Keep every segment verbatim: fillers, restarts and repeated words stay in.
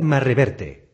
Magma Reverte.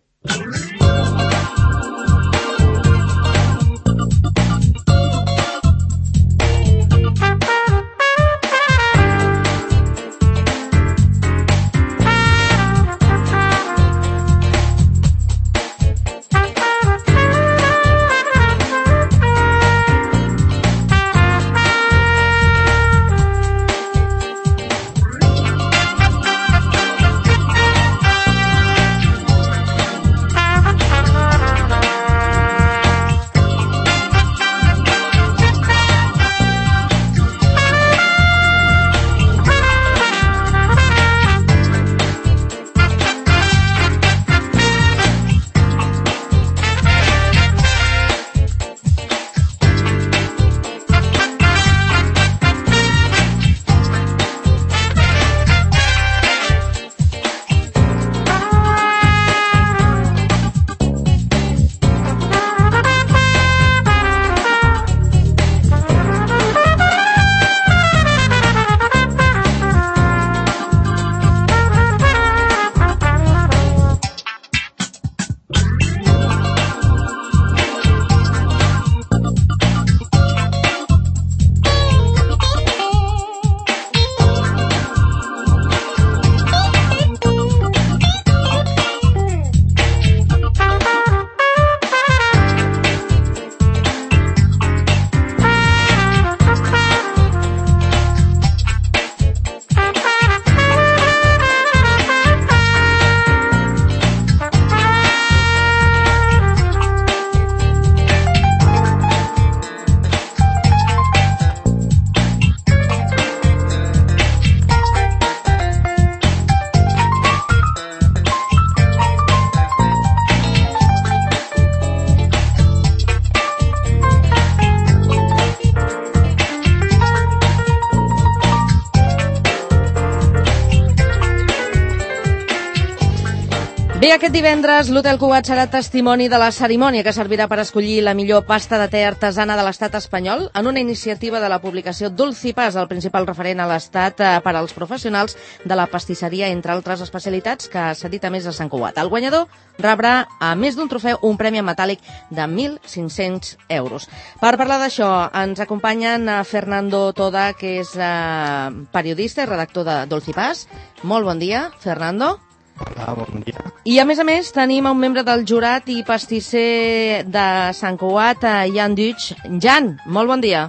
Bé, aquest divendres l'Hotel Cugat serà testimoni de la cerimònia que servirà per escollir la millor pasta de te artesana de l'estat espanyol en una iniciativa de la publicació Dulcipas, el principal referent a l'estat per als professionals de la pastisseria, entre altres especialitats, que s'ha dit a més a Sant Cugat. El guanyador rebrà, a més d'un trofeu, un premi en metàl·lic de mil cinc-cents euros. Per parlar d'això, ens acompanyen Fernando Toda, que és eh, periodista i redactor de Dulcipas. Molt bon dia, Fernando. Hola, bon dia. I a més a més tenim un membre del jurat i pastisser de Sant Cugat, Jan Duig. Jan, molt bon dia.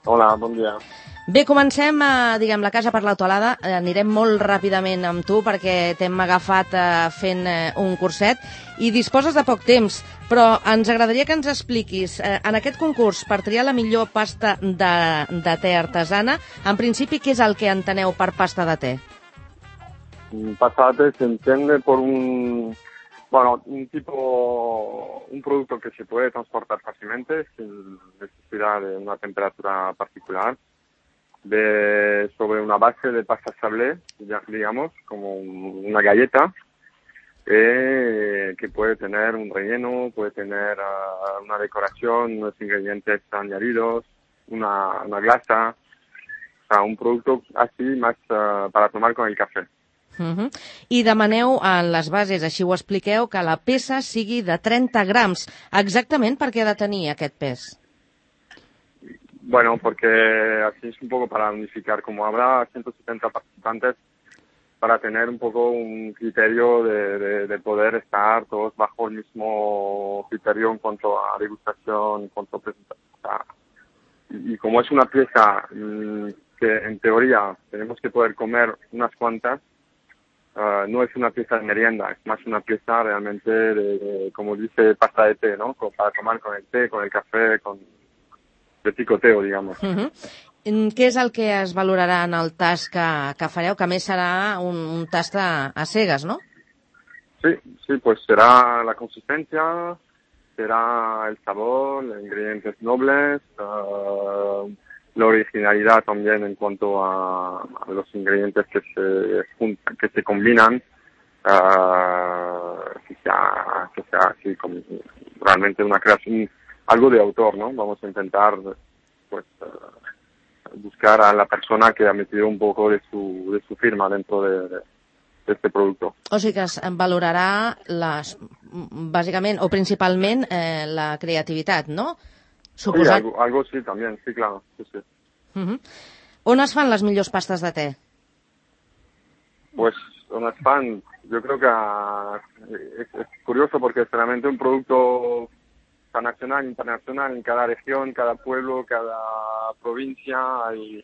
Hola, bon dia. Bé, comencem, eh, diguem, la casa per l'autoalada. Eh, anirem molt ràpidament amb tu perquè t'hem agafat eh, fent eh, un curset i disposes de poc temps, però ens agradaria que ens expliquis, eh, en aquest concurs, per triar la millor pasta de, de te artesana, en principi, què és el que enteneu per pasta de te? Pasta de té se entiende por un, bueno, un tipo, un producto que se puede transportar fácilmente sin necesidad de una temperatura particular, de, sobre una base de pasta sablé, digamos, como una galleta, eh, que puede tener un relleno, puede tener uh, una decoración, unos ingredientes añadidos, una, una glasa, o sea, un producto así más uh, para tomar con el café. Uh-huh. I demaneu en les bases, així ho expliqueu, que la peça sigui de treinta grams. Exactament per què ha de tenir aquest pes? Bueno, porque así es un poco para unificar, como habrá ciento setenta participantes, para tener un poco un criterio de, de, de poder estar todos bajo el mismo criterio en cuanto a degustación, en cuanto a presentación. Y, y como es una pieza mmm, que en teoría tenemos que poder comer unas cuantas, Uh, no es una pieza de merienda, es más una pieza realmente de, de, como dice, pasta de té, ¿no? Para tomar con el té, con el café, con de picoteo, digamos. Uh-huh. Què és el que es valorarà en el tast que, que fareu? Que a més serà un, un tast a, a cegues, ¿no? Sí, sí, pues será la consistencia, será el sabor, los ingredientes nobles, uh, la originalidad también en cuanto a, a los ingredientes que se juntan, que se combinan, uh, que sea, que sea así como realmente una creación, algo de autor, ¿no? Vamos a intentar, pues, uh, buscar a la persona que ha metido un poco de su, de su firma dentro de, de, este producto. O sigui que es valorarà les, bàsicament o principalment eh, la creativitat, ¿no? Suposat... Sí, algo, algo sí, también, sí, claro. Sí, sí. Uh-huh. On es fan les millors pastes de té? Pues on es fan, yo creo que es, es curioso porque es realmente un producto tan nacional, internacional, en cada región, cada pueblo, cada provincia, hay,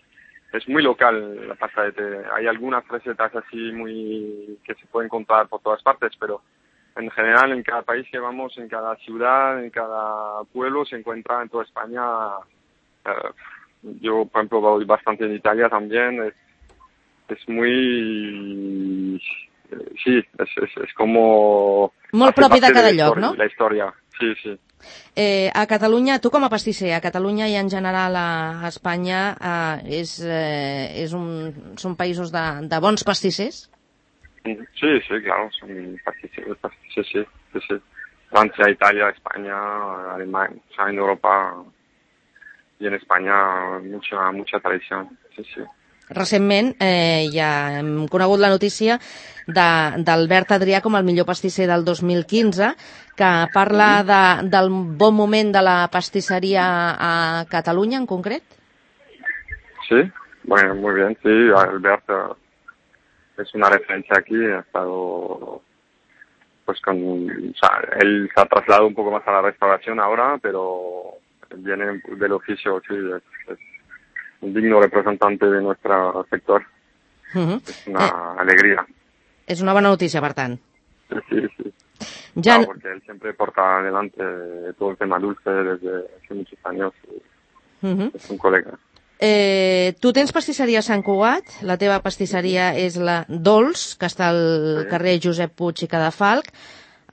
es muy local la pasta de té. Hay algunas recetas así muy que se pueden encontrar por todas partes, pero en general en cada país que vamos, en cada ciudad, en cada pueblo se encuentra en toda España. Eh, yo, por ejemplo, voy bastante en Italia también. Es, es muy... Sí, es, es, es como... Molt propi de cada lloc, no? La història, sí, sí. Eh, a Catalunya, tu com a pastisser, a Catalunya i en general a Espanya, eh, és, eh, és un, són països de, de bons pastissers? Sí, sí, claro, son pastisseros, sí, sí, sí, sí. Francia, Italia, España, Alemania, o sea, en Europa y en España mucha, mucha tradición, sí, sí. Recentment eh, ja hem conegut la notícia d'Albert Adrià com el millor pastisser del dos mil quinze, que parla de, del bon moment de la pastisseria a Catalunya en concret. Sí, bueno, muy bien, sí, Albert es una referencia aquí, ha estado, pues con, o sea, él se ha trasladado un poco más a la restauración ahora, pero viene del oficio, sí, es, es un digno representante de nuestro sector. Uh-huh. Es una eh, alegría. Es una buena noticia, per tant. Sí, sí, sí. Ya... Claro, porque él siempre porta adelante todo el tema dulce desde hace muchos años. Uh-huh. Es un colega. Eh, tu tens pastisseria a Sant Cugat, la teva pastisseria és la Dols, que està al sí. carrer Josep Puig i Cadafalch,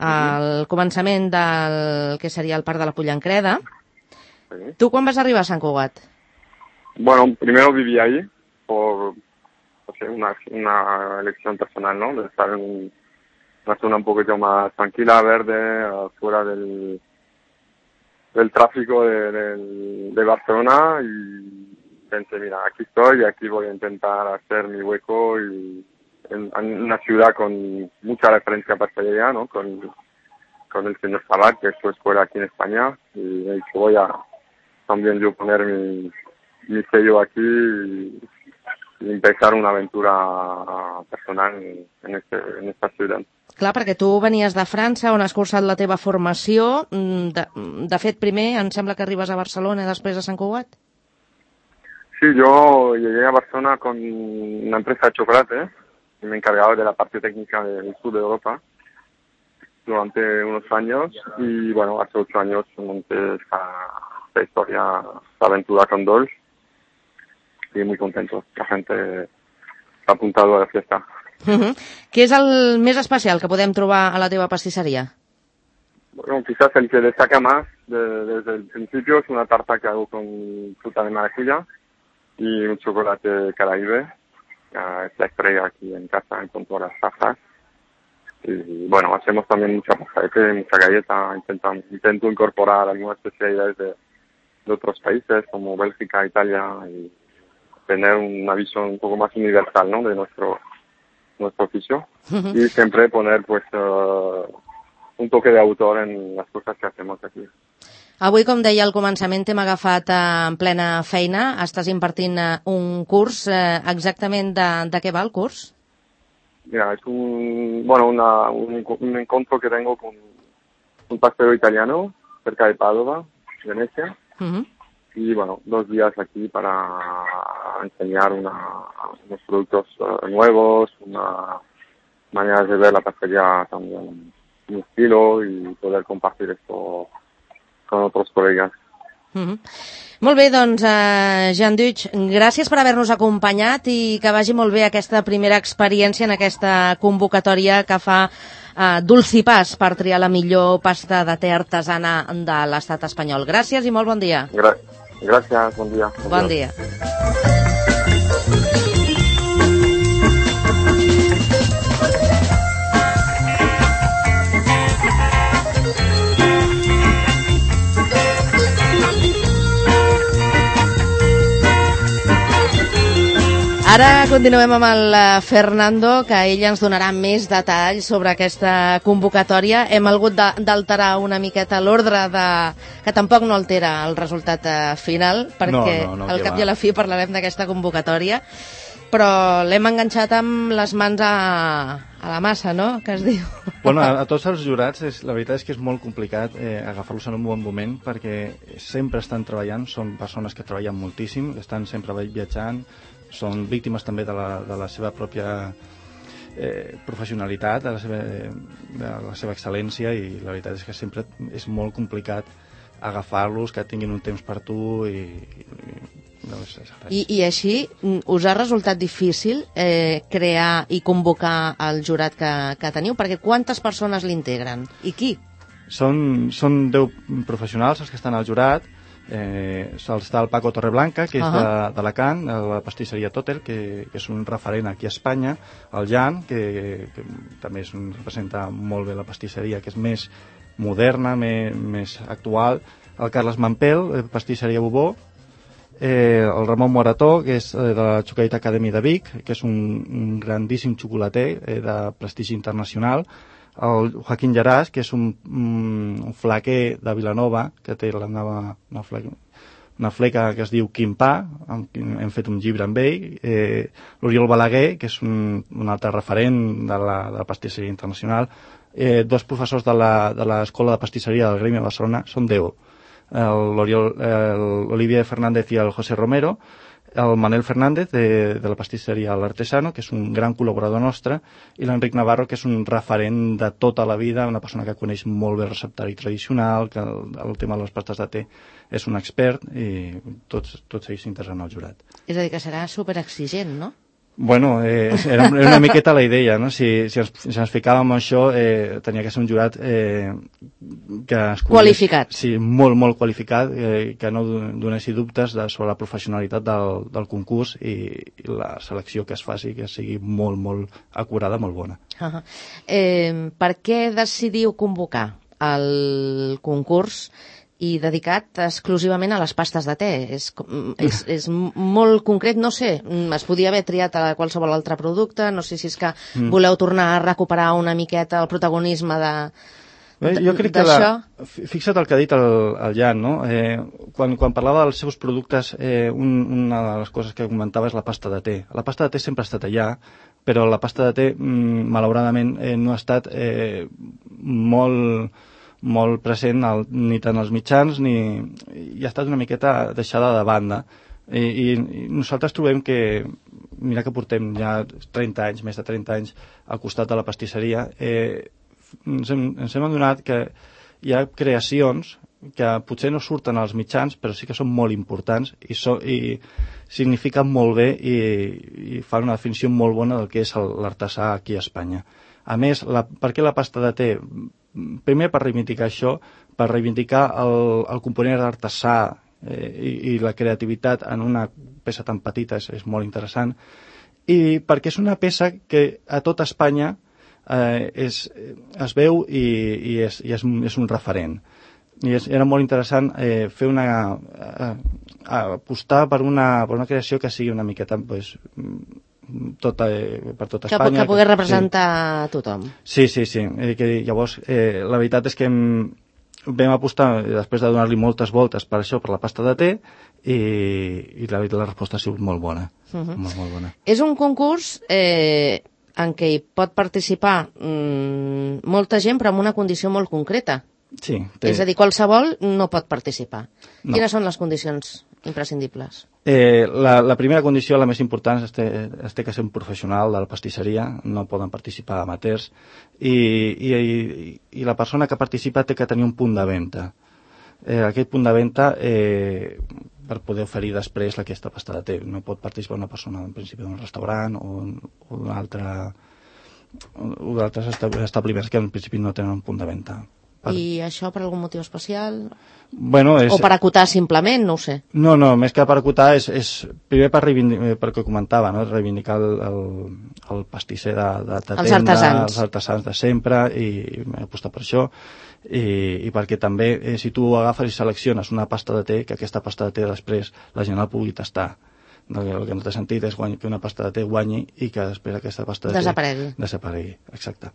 al uh-huh. començament del que seria el Parc de la Pollancreda. Sí. Tu quan vas arribar a Sant Cugat? Bueno, primero viví ahí por o sea, una, una elección personal, ¿no? De estar en una zona un poquito más tranquila, verde, fuera del, del tráfico de, de, de Barcelona, y pensé, mira, aquí estoy y aquí voy a intentar hacer mi hueco y en, en una ciudad con mucha referencia a pastelería, ¿no? Con, con el señor Sabat, que es su escuela aquí en España, y he dicho, voy a también yo poner mi mi sello aquí y, y empezar una aventura personal en, este, en esta ciudad. Clar, perquè tu venies de França, on has cursat la teva formació. De, de fet, primer em sembla que arribes a Barcelona i després a Sant Cugat. Sí, yo llegué a Barcelona con una empresa de chocolate y me encargaba de la parte técnica del sur de Europa durante unos años, y bueno, hace ocho años monté esta, esta historia, esta aventura con Dols. Y muy contento. La gente s'ha apuntado a la fiesta. Uh-huh. Què és el més especial que podem trobar a la teva pastisseria? Bueno, quizás el que destaca más de, desde el principio es una tarta que hago con fruta de maracuyá y un chocolate Caraíbe. Uh, es la estrella aquí en casa, con todas las tazas. Y bueno, hacemos también mucha pasta de té, mucha galleta. Intento, intento incorporar algunas especialidades de, de otros países como Bélgica, Italia, y tener una visión un poco más universal, ¿no? De nuestro nuestro oficio. Uh-huh. Y siempre poner pues uh, un toque de autor en las cosas que hacemos aquí. Avui, com deia al començament, t'hem agafat eh, en plena feina. Estàs impartint eh, un curs. Eh, exactament de, de què va el curs? Mira, es un, bueno, una, un, un encuentro que tengo con un pastelero italiano cerca de Padova, Venecia. Uh-huh. Y bueno, dos días aquí para enseñar una, unos productos uh, nuevos, una manera de ver la pastelería también, un estilo, y poder compartir esto con otros colegas. Mm-hmm. Molt bé, doncs, uh, Jean Duch, gràcies per haver-nos acompanyat i que vagi molt bé aquesta primera experiència en aquesta convocatòria que fa uh, Dulcipàs per triar la millor pasta de té artesana de l'estat espanyol. Gràcies i molt bon dia. Gràcies. Gracias, buen día. Buen día. Ara continuem amb el Fernando, que ell ens donarà més detalls sobre aquesta convocatòria. Hem hagut d'alterar una miqueta l'ordre, de... que tampoc no altera el resultat final, perquè no, no, no, al cap va. I a la fi parlarem d'aquesta convocatòria, però l'hem enganxat amb les mans a, a la massa, no?, que es diu. Bueno, a, a tots els jurats, és, la veritat és que és molt complicat eh, agafar-los en un bon moment, perquè sempre estan treballant, són persones que treballen moltíssim, estan sempre viatjant, són víctimes també de la, de la seva pròpia eh, professionalitat, de la seva, de la seva excel·lència, i la veritat és que sempre és molt complicat agafar-los, que tinguin un temps per tu i... i no és res. I, I així, us ha resultat difícil eh, crear i convocar el jurat que, que teniu? Perquè quantes persones l'integren? I qui? Són, són deu professionals els que estan al jurat. Eh, està el Paco Torreblanca, que és uh -huh. d'Alacant, la pastisseria Totel, que, que és un referent aquí a Espanya, el Jan, que, que també és un, representa molt bé la pastisseria, que és més moderna, més, més actual, el Carles Mampel, pastisseria Bobó, eh, el Ramon Morató, que és de la Chocolate Academy de Vic, que és un, un grandíssim xocolater eh, de prestigi internacional, el Joaquín Llaràs, que és un, un flaquer de Vilanova, que té la nova, una, fleca, una fleca que es diu Quimpà, hem fet un llibre amb ell, eh, l'Oriol Balaguer, que és un, un altre referent de la, de la pastisseria internacional, eh, dos professors de l'Escola de Pastisseria del Gremi de Barcelona, són deu, l'Olivier Fernández i el José Romero, el Manel Fernández de, de la pastisseria L'Artesano, que és un gran col·laborador nostre, i l'Enric Navarro, que és un referent de tota la vida, una persona que coneix molt bé el receptari tradicional, que el, el tema de les pastes de te és un expert, i tots, tots ells s'interessen al jurat. És a dir, que serà superexigent, no? Bueno, eh, era, era una miqueta la idea, no? Si, si, ens, si ens ficàvem en això, eh, tenia que ser un jurat eh, que es coneix, qualificat. Sí, molt, molt qualificat, eh, que no donessi dubtes de, sobre la professionalitat del, del concurs i, i la selecció que es faci, que sigui molt, molt acurada, molt bona. Uh -huh. eh, per què decidiu convocar el concurs i dedicat exclusivament a les pastes de te? És, és, és molt concret, no sé, es podia haver triat a qualsevol altre producte, no sé si és que mm. voleu tornar a recuperar una miqueta el protagonisme de, de, jo crec que la, fixa't el que ha dit el, el Jan, no? Eh, quan, quan parlava dels seus productes, eh, un, una de les coses que comentava és la pasta de te. La pasta de te sempre ha estat allà, però la pasta de te, mm, malauradament, eh, no ha estat eh, molt... molt present al, ni tant als mitjans ni, i ha estat una miqueta deixada de banda I, i, i nosaltres trobem que mira que portem ja trenta anys, més de trenta anys al costat de la pastisseria, eh, ens, hem, ens hem adonat que hi ha creacions que potser no surten als mitjans però sí que són molt importants i, so, i signifiquen molt bé i, i fan una definició molt bona del que és l'artesà aquí a Espanya. A més, la, per què la pasta de te? Primer per reivindicar això, per reivindicar el, el component artesà eh, i, i la creativitat en una peça tan petita és, és molt interessant, i perquè és una peça que a tot Espanya eh, és, es veu i, i, és, i és, és un referent. I és, era molt interessant eh, fer una eh, apostar per una, per una creació que sigui una miqueta pues, Tota, eh, per tot Espanya. Que, que pugui representar sí. tothom. Sí, sí, sí. Eh, que, llavors, eh, la veritat és que hem, vam apostar, després de donar-li moltes voltes per això, per la pasta de te, i, i la, la resposta ha sigut molt bona. Uh -huh. molt, molt bona. És un concurs eh, en què hi pot participar mm, molta gent, però amb una condició molt concreta. Sí. Té... És a dir, qualsevol no pot participar. No. Quines són les condicions imprescindibles? Eh, la, la primera condició, la més important, és que es té que ser un professional de la pastisseria, no poden participar amateurs, i, i, i, i la persona que participa té que tenir un punt de venda. Eh, aquest punt de venda, eh, per poder oferir després aquesta pasta de te. No pot participar una persona, en principi, d'un restaurant o, o d'un altre o d'altres establiments que en principi no tenen un punt de venda. Per... I això per algun motiu especial? Bueno, és... O per acotar simplement, no ho sé. No, no, més que per acotar és, és primer per reivindicar, perquè comentava, no? reivindicar el, el, el pastisser de, de, de tenda, els artesans. els artesans de sempre, i apostar per això, i, i perquè també eh, si tu agafes i selecciones una pasta de te, que aquesta pasta de te després la gent la pugui tastar. El que no té sentit és que una pasta de te guanyi i que després aquesta pasta de te desaparegui. desaparegui. Exacte.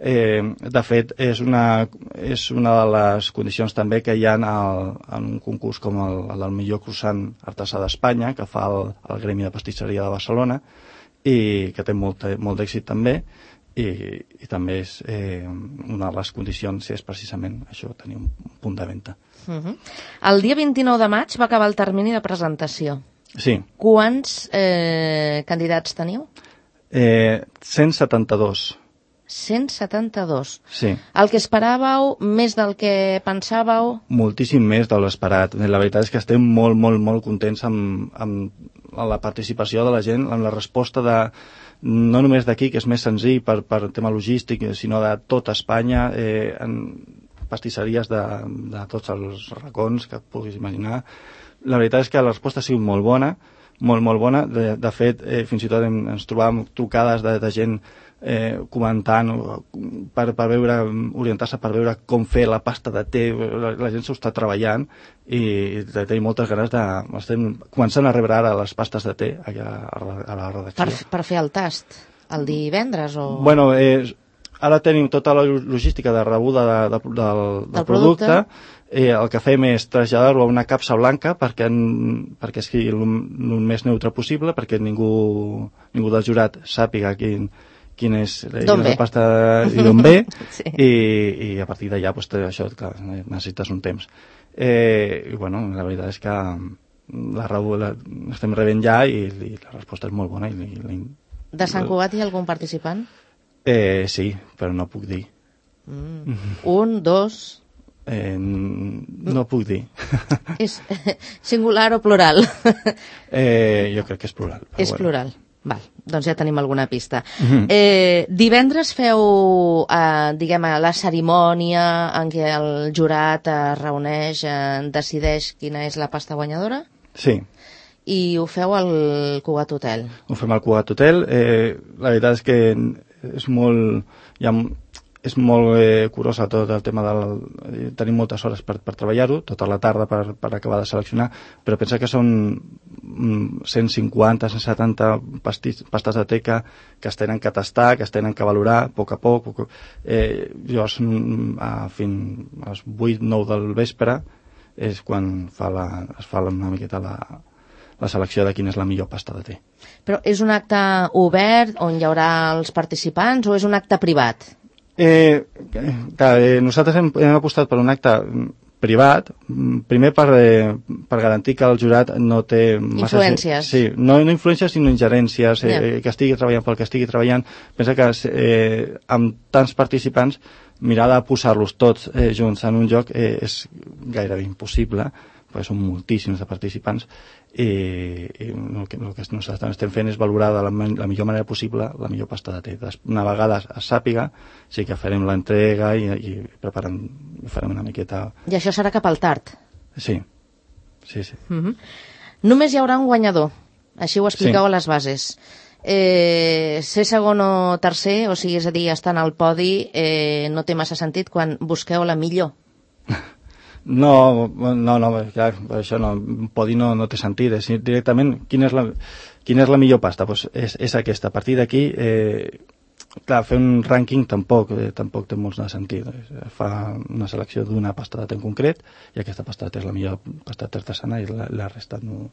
Eh, de fet, és una, és una de les condicions també que hi ha al, en un concurs com el, el del millor croissant artesà d'Espanya, que fa el, el Gremi de Pastisseria de Barcelona, i que té molt, molt d'èxit també, i, i també és eh, una de les condicions és precisament això, tenir un punt de venda. Uh-huh. El dia vint-i-nou de maig va acabar el termini de presentació. Sí. Quants eh, candidats teniu? Eh, cent setanta-dos. cent setanta-dos. Sí. El que esperàveu, més del que pensàveu? Moltíssim més de l'esperat. La veritat és que estem molt, molt, molt contents amb, amb la participació de la gent, amb la resposta de, no només d'aquí, que és més senzill per, per tema logístic, sinó de tota Espanya, eh, en pastisseries de, de tots els racons que et puguis imaginar. La veritat és que la resposta ha sigut molt bona, molt, molt bona. De, de fet, eh, fins i tot hem, ens trobàvem trucades de, de gent eh, comentant per, per veure, orientar-se per veure com fer la pasta de te. La, la gent s'ho està treballant i tenim moltes ganes de... Estem començant a rebre ara les pastes de te a, a la redacció. Per, per fer el tast, el divendres o...? Bueno, eh, ara tenim tota la logística de rebuda de, de, del, del, del producte, producte. Eh, el que fem és traslladar-ho a una capsa blanca perquè, en, perquè sigui el, el més neutre possible, perquè ningú, ningú del jurat sàpiga quin, quin és, quin és la pasta i d'on ve, sí. i, i a partir d'allà pues, això, clar, necessites un temps. Eh, I bueno, la veritat és que la, la estem rebent ja i, i la resposta és molt bona. I, i, de Sant Cugat hi ha algun participant? Eh, sí, però no puc dir. Mm. Un, dos... Eh, no puc dir. És singular o plural? eh, jo crec que és plural. És bueno. plural. Val, doncs ja tenim alguna pista. Mm-hmm. eh, divendres feu, eh, diguem, la cerimònia en què el jurat es reuneix, eh, decideix quina és la pasta guanyadora? Sí. I ho feu al Cugat Hotel? Ho fem al Cugat Hotel. Eh, la veritat és que és molt... Hi ha, és molt eh, curosa tot el tema del... Tenim moltes hores per, per treballar-ho, tota la tarda per, per acabar de seleccionar, però pensa que són cent cinquanta, cent setanta pastis, pastes de teca que es tenen que tastar, que es tenen que valorar a poc a poc. poc eh, llavors, a, fin, a les vuit nou del vespre és quan fa la, es fa una miqueta la, la selecció de quina és la millor pasta de te. Però és un acte obert on hi haurà els participants o és un acte privat? Eh, clar, eh, nosaltres hem, hem apostat per un acte privat, primer per, eh, per garantir que el jurat no té... Massa, influències. Sí, no, no influències sinó ingerències, eh, yeah. que estigui treballant pel que estigui treballant. Pensa que eh, amb tants participants mirar de posar-los tots eh, junts en un lloc eh, és gairebé impossible, perquè són moltíssims de participants i, i el, que, el que nosaltres estem fent és valorar de la, la millor manera possible la millor pasta de te. Una vegada es sàpiga, sí que farem l'entrega i, i preparem, farem una miqueta... I això serà cap al tard? Sí, sí, sí. Mm-hmm. Només hi haurà un guanyador, així ho expliqueu sí. a les bases. Eh, ser segon o tercer, o sigui, és a dir, estar al podi, eh, no té massa sentit quan busqueu la millor. No, no, no, clar, això no, podi no, no té sentit, és directament quina és la, quina és la millor pasta, pues és, és aquesta. A partir d'aquí, eh, clar, fer un rànquing tampoc, eh, tampoc té molt de sentit. Fa una selecció d'una pasta de te en concret i aquesta pasta de te és la millor pasta de te artesana i la, la resta no...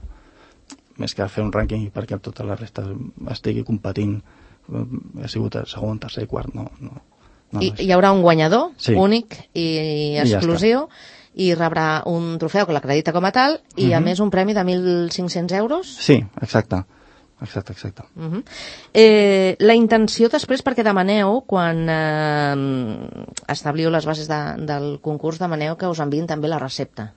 Més que fer un rànquing perquè tota la resta estigui competint, ha sigut segon, tercer, quart, no. no, no I, hi haurà un guanyador sí. únic i exclusiu. I ja i rebrà un trofeu que l'acredita com a tal i, uh-huh. a més, un premi de mil cinc-cents euros? Sí, exacte. Exacte, exacte. Uh-huh. Eh, la intenció després, perquè demaneu, quan eh, establiu les bases de, del concurs, demaneu que us enviïn també la recepta.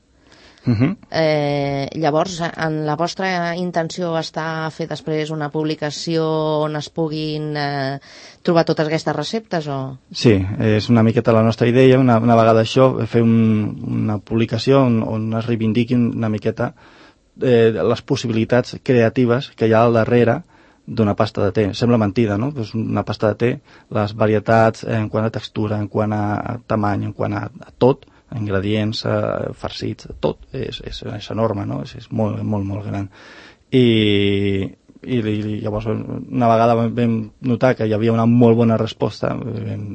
Uh-huh. Eh, llavors, en la vostra intenció està a fer després una publicació on es puguin eh, trobar totes aquestes receptes? O... Sí, és una miqueta la nostra idea, una, una vegada això, fer un, una publicació on, on es reivindiquin una miqueta eh, les possibilitats creatives que hi ha al darrere d'una pasta de te. Sembla mentida, no? Pues una pasta de te, les varietats en quant a textura, en quant a tamany, en quant a, a tot, ingredients, eh, farcits, tot és, és, és enorme, no? És, és molt, molt, molt gran. i, i, i llavors una vegada vam notar que hi havia una molt bona resposta, vam,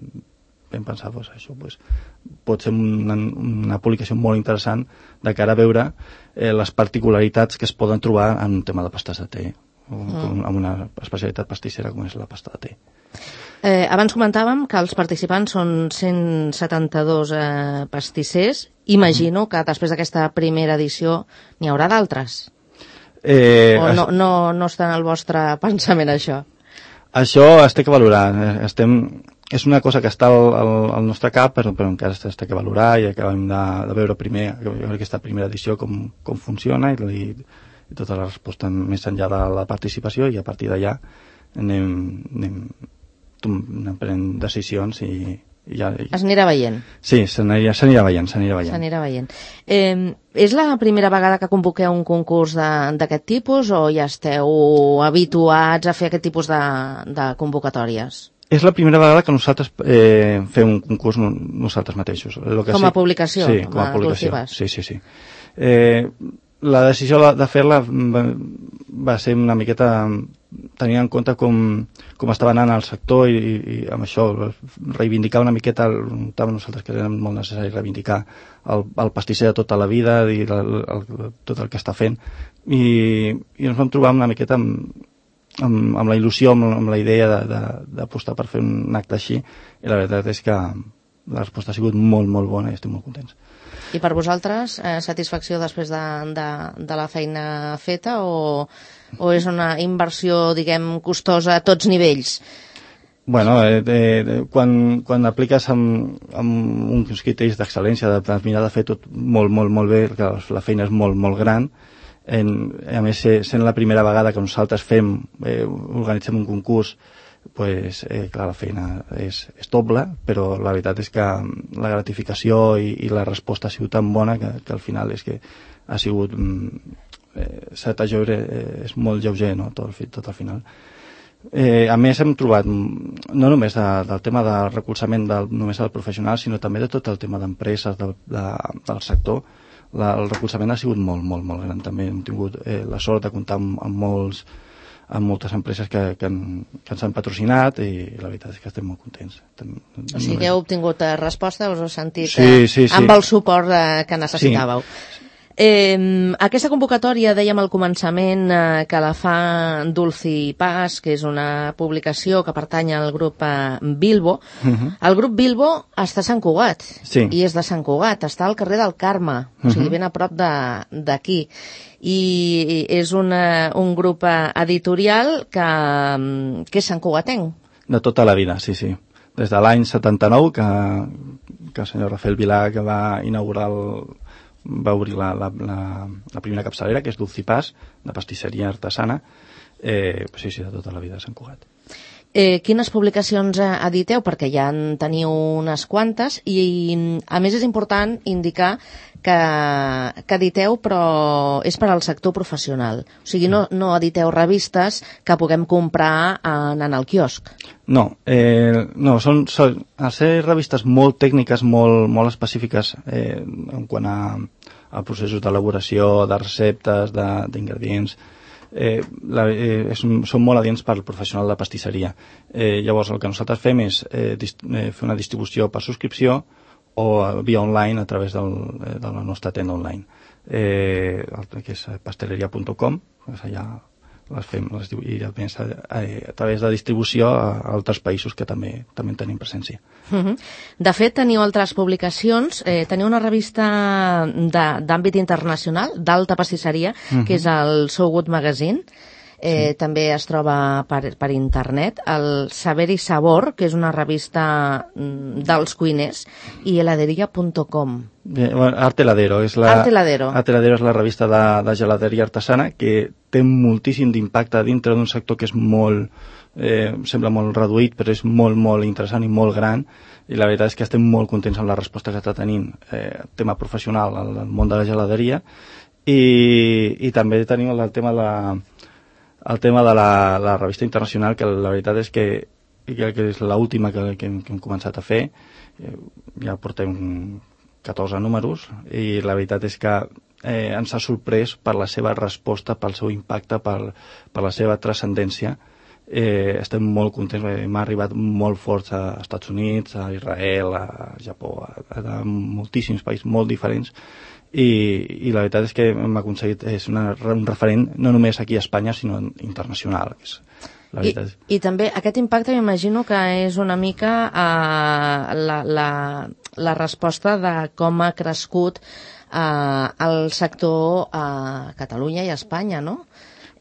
vam pensar, pues, això pues, pot ser una, una publicació molt interessant de cara a veure eh, les particularitats que es poden trobar en un tema de pastes de te, o, mm. amb una especialitat pastissera com és la pasta de te. Eh, abans comentàvem que els participants són cent setanta-dos eh, pastissers. Imagino que després d'aquesta primera edició n'hi haurà d'altres. Eh, o no, no, no està en el vostre pensament, això? Això es té que valorar. Estem, és una cosa que està al, al, al nostre cap, però, però encara es té que valorar i acabem de, de veure primer aquesta primera edició com, com funciona i, i, i tota la resposta més enllà de la participació, i a partir d'allà anem, anem anem prenent decisions i, i ja... I... Es anirà veient. Sí, s'anirà veient, s'anirà veient. S'anirà veient. Eh, és la primera vegada que convoqueu un concurs d'aquest tipus o ja esteu habituats a fer aquest tipus de, de convocatòries? És la primera vegada que nosaltres eh, fem un concurs nosaltres mateixos. Lo que com a sí, publicació? Sí, com a publicació. Sí, sí, sí. Eh, la decisió de fer-la va, va ser una miqueta tenint en compte com, com estava anant el sector i, i, i amb això reivindicar una miqueta, notàvem nosaltres que era molt necessari reivindicar el, el pastisser de tota la vida i el, el, tot el que està fent, i, i ens vam trobar una miqueta amb, amb, amb la il·lusió, amb, amb la idea d'apostar per fer un acte així, i la veritat és que la resposta ha sigut molt, molt bona i estic molt contents. I per vosaltres, eh, satisfacció després de, de, de la feina feta o, o és una inversió, diguem, costosa a tots nivells? Bueno, eh, eh, quan, quan apliques amb, amb uns criteris d'excel·lència, de, de mirar de fer tot molt, molt, molt bé, que la feina és molt, molt gran, en, a més, sent la primera vegada que nosaltres fem, eh, organitzem un concurs, pues, eh, clar, la feina és, és doble, però la veritat és que la gratificació i, i la resposta ha sigut tan bona que, que al final és que ha sigut eh, set lleure, eh, és molt lleuger, no?, tot, tot al final. Eh, a més hem trobat no només de, del tema del recolzament del, només del professional, sinó també de tot el tema d'empreses de, de, del sector. La, el recolzament ha sigut molt, molt, molt gran. També hem tingut eh, la sort de comptar amb, amb molts amb moltes empreses que, que, han, que ens han patrocinat i la veritat és que estem molt contents. O sigui que heu obtingut resposta, us heu sentit sí, sí, sí. amb el suport que necessitàveu. Sí. Eh, aquesta convocatòria, dèiem al començament, eh, que la fa Dulci Pas, que és una publicació que pertany al grup eh, Bilbo. Uh-huh. El grup Bilbo està a Sant Cugat, sí. I és de Sant Cugat, està al carrer del Carme, uh-huh. O sigui, ben a prop d'aquí. I és una, un grup editorial que, que és santcugatenc. De tota la vida, sí, sí. Des de l'any setanta-nou, que, que el senyor Rafael Vilà, que va inaugurar el, va obrir la, la, la, la primera capçalera, que és Dulci Pas, de pastisseria artesana, eh, sí, sí, de tota la vida a Sant Cugat. Eh, quines publicacions editeu? Perquè ja en teniu unes quantes i, a més, és important indicar que, que editeu, però és per al sector professional. O sigui, no, no editeu revistes que puguem comprar anant al quiosc. No, eh, no són, són, al ser revistes molt tècniques, molt, molt específiques eh, en quant a, a processos d'elaboració, de receptes, d'ingredients, eh, la, eh, és, són molt adients per al professional de pastisseria. Eh, llavors, el que nosaltres fem és eh, dist, eh, fer una distribució per subscripció o via online a través del, de la nostra tenda online, eh, que és pasteleria punt com, allà les fem, les, i a, més, a, a través de distribució a, a altres països que també, també en tenim presència. Uh-huh. De fet, teniu altres publicacions, eh, teniu una revista d'àmbit internacional, d'alta pastisseria, uh-huh. que és el So Good Magazine. Eh, sí. També es troba per, per internet, el Saber i Sabor, que és una revista dels cuiners, i heladeria punt com. Eh, bueno, Arte Heladero és la, Arte Heladero. Arte Heladero és la revista de, de gelateria artesana que té moltíssim d'impacte dintre d'un sector que és molt, eh, sembla molt reduït, però és molt, molt interessant i molt gran, i la veritat és que estem molt contents amb la resposta que està tenint eh, tema professional al, al món de la gelateria, i, i també tenim el tema de la el tema de la, la revista internacional, que la veritat és que, que és l'última que, que, que hem començat a fer. Ja portem catorze números i la veritat és que eh, ens ha sorprès per la seva resposta, pel seu impacte, per, per la seva transcendència. Eh, estem molt contents, m'ha arribat molt fort a Estats Units, a Israel, a Japó, a, a moltíssims països molt diferents, i, i la veritat és que hem aconseguit, és una, un referent no només aquí a Espanya, sinó internacional. Que és, la I, I també aquest impacte m'imagino que és una mica eh, la, la, la resposta de com ha crescut eh, el sector a Catalunya i a Espanya, no?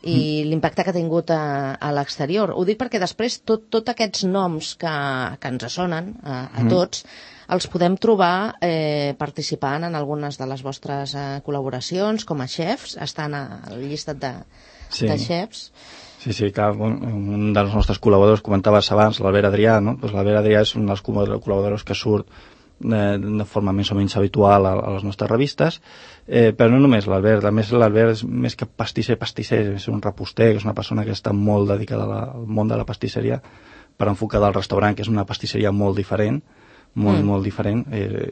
I mm. l'impacte que ha tingut a, a l'exterior. Ho dic perquè després tot, tot aquests noms que, que ens sonen a, a tots mm. els podem trobar eh, participant en algunes de les vostres eh, col·laboracions com a xefs, estan al llistat de, sí. de xefs. Sí, sí, que un, un dels nostres col·laboradors, comentaves abans, l'Albert Adrià, no? Pues l'Albert Adrià és un dels col·laboradors que surt de, de forma més o menys habitual a, a les nostres revistes, eh, però no només l'Albert, a més l'Albert és més que pastisser, pastisser, és un reposter, és una persona que està molt dedicada a la, al món de la pastisseria per enfocar del restaurant, que és una pastisseria molt diferent, molt, mm. molt diferent, eh,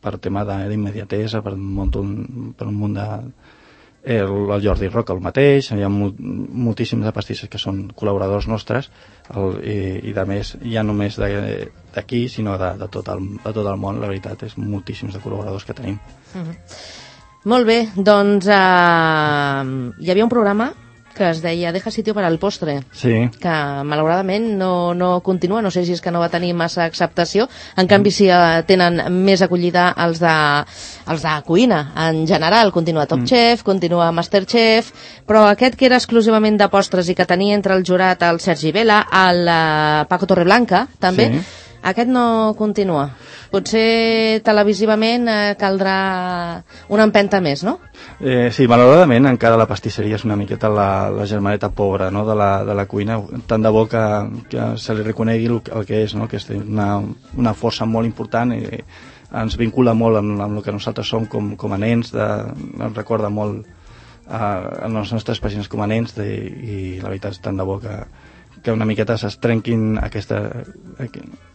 per tema d'immediatesa, per, per un munt de... El, el Jordi Roca el mateix, hi ha molt, moltíssims de pastisses que són col·laboradors nostres, el, i, i de més, ja no només d'aquí, sinó de, de, tot el, de tot el món, la veritat, és moltíssims de col·laboradors que tenim. Mm-hmm. Molt bé, doncs uh, hi havia un programa que es deia Deja sitio para el postre, sí. que malauradament no, no continua, no sé si és que no va tenir massa acceptació, en canvi sí tenen més acollida els de, els de cuina, en general, continua Top mm. Chef, continua Masterchef, però aquest que era exclusivament de postres i que tenia entre el jurat el Sergi Vela, el uh, Paco Torreblanca, també, sí. Aquest no continua. Potser televisivament eh, caldrà una empenta més, no? Eh, sí, malauradament encara la pastisseria és una miqueta la, la germaneta pobra, no? de, la, de la cuina, tant de bo que, que se li reconegui el, el que és, no? Que és una, una força molt important i ens vincula molt amb, amb el que nosaltres som com, com a nens, de, ens recorda molt a, a les nostres pàgines com a nens de, i la veritat és tant de bo que, que una miqueta es trenquin aquesta... aquests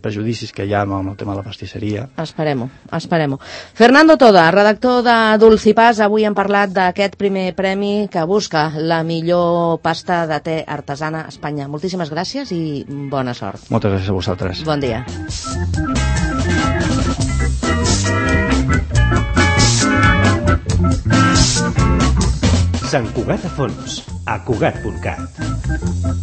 prejudicis que hi ha amb el tema de la pastisseria. Esperem-ho, esperem-ho. Fernando Toda, redactor de Dulcipàs, avui hem parlat d'aquest primer premi que busca la millor pasta de te artesana a Espanya. Moltíssimes gràcies i bona sort. Moltes gràcies a vosaltres. Bon dia. Sant Cugat a fons, a Cugat punt cat.